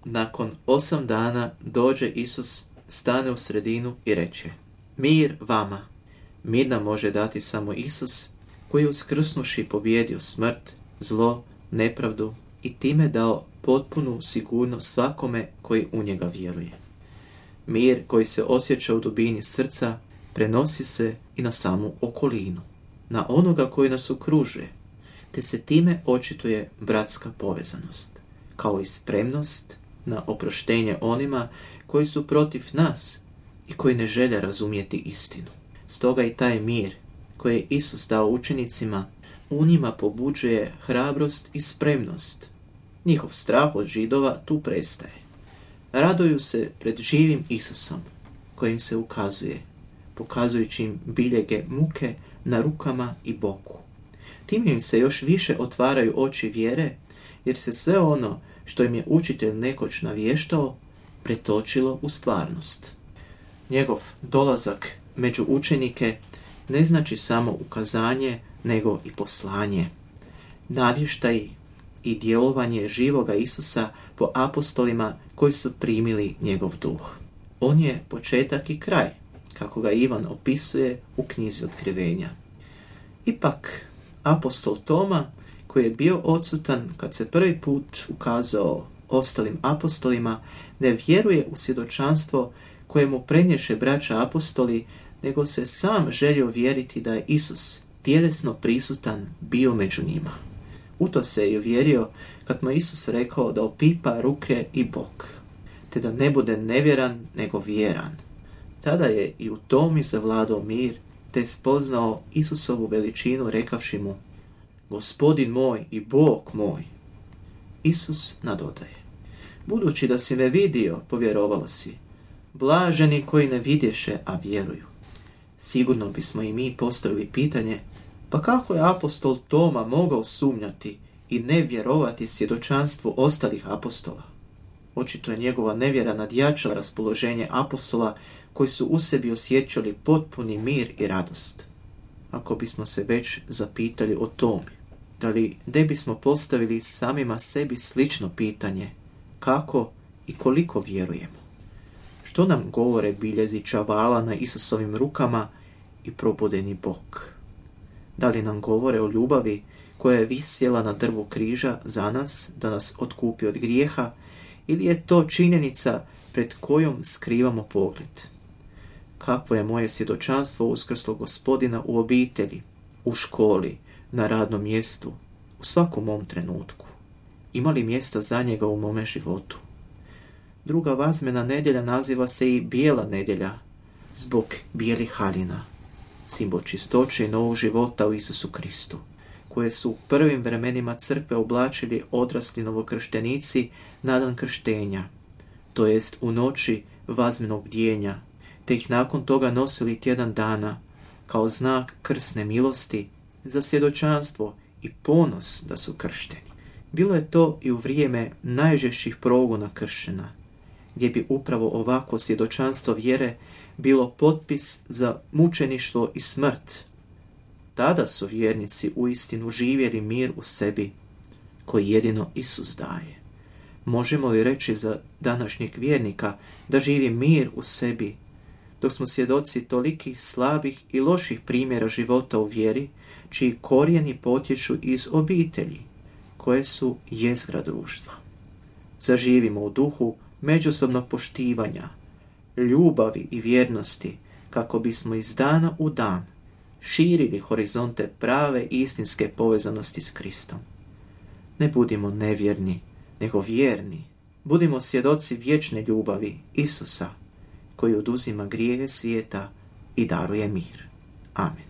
nakon 8 dana dođe Isus, stane u sredinu i reče: mir vama. Mir nam može dati samo Isus, koji je uskrsnuši pobjedio smrt, zlo, nepravdu i time dao potpunu sigurnost svakome koji u njega vjeruje. Mir koji se osjeća u dubini srca prenosi se i na samu okolinu, na onoga koji nas okružuje, te se time očituje bratska povezanost, kao i spremnost na oproštenje onima koji su protiv nas i koji ne žele razumjeti istinu. Stoga i taj mir koji je Isus dao učenicima u njima pobuđuje hrabrost i spremnost. Njihov strah od Židova tu prestaje. Raduju se pred živim Isusom, kojim se ukazuje, pokazujući im biljege muke na rukama i boku. Tim im se još više otvaraju oči vjere, jer se sve ono što im je učitelj nekoć navještao pretočilo u stvarnost. Njegov dolazak među učenike ne znači samo ukazanje, nego i poslanje. Navještaj i djelovanje živoga Isusa po apostolima koji su primili njegov duh. On je početak i kraj, kako ga Ivan opisuje u knjizi Otkrivenja. Ipak, apostol Toma, koji je bio odsutan kad se prvi put ukazao ostalim apostolima, ne vjeruje u svjedočanstvo koje mu prenješe braća apostoli, nego se sam želio vjeriti da je Isus tjelesno prisutan bio među njima. U to se je uvjerio kad mu Isus rekao da opipa ruke i bok, te da ne bude nevjeran nego vjeran. Tada je i u Tomi zavladao mir, te spoznao Isusovu veličinu rekavši mu: Gospodin moj i Bog moj. Isus nadodaje: budući da si me vidio, povjerovao si. Blaženi koji ne vidješe, a vjeruju. Sigurno bismo i mi postavili pitanje: pa kako je apostol Toma mogao sumnjati i ne vjerovati svjedočanstvu ostalih apostola? Očito je njegova nevjera nadjačala raspoloženje apostola koji su u sebi osjećali potpuni mir i radost. Ako bismo se već zapitali o Tomi, da li ne bismo postavili samima sebi slično pitanje: kako i koliko vjerujemo? Što nam govore biljezi čavala na Isusovim rukama i probudeni bok? Da li nam govore o ljubavi koja je visjela na drvu križa za nas, da nas otkupi od grijeha, ili je to činjenica pred kojom skrivamo pogled? Kakvo je moje svjedočanstvo uskrslog Gospodina u obitelji, u školi, na radnom mjestu, u svakom mom trenutku? Ima li mjesta za njega u mome životu? Druga vazmena nedjelja naziva se i bijela nedjelja, zbog bijelih haljina, simbol čistoće i novog života u Isusu Kristu, koje su u prvim vremenima crkve oblačili odrasli novokrštenici na dan krštenja, to jest u noći vazmenog bdjenja, te ih nakon toga nosili tjedan dana kao znak krsne milosti za svjedočanstvo i ponos da su kršteni. Bilo je to i u vrijeme najžešćih progona kršćana, gdje bi upravo ovako svjedočanstvo vjere bilo potpis za mučeništvo i smrt. Tada su vjernici uistinu živjeli mir u sebi, koji jedino Isus daje. Možemo li reći za današnjeg vjernika da živi mir u sebi, dok smo svjedoci tolikih slabih i loših primjera života u vjeri, čiji korijeni potječu iz obitelji, koje su jezgra društva? Zaživimo u duhu međusobnog poštivanja, ljubavi i vjernosti, kako bismo iz dana u dan širili horizonte prave istinske povezanosti s Kristom. Ne budimo nevjerni, nego vjerni. Budimo svjedoci vječne ljubavi Isusa, koji oduzima grijehe svijeta i daruje mir. Amen.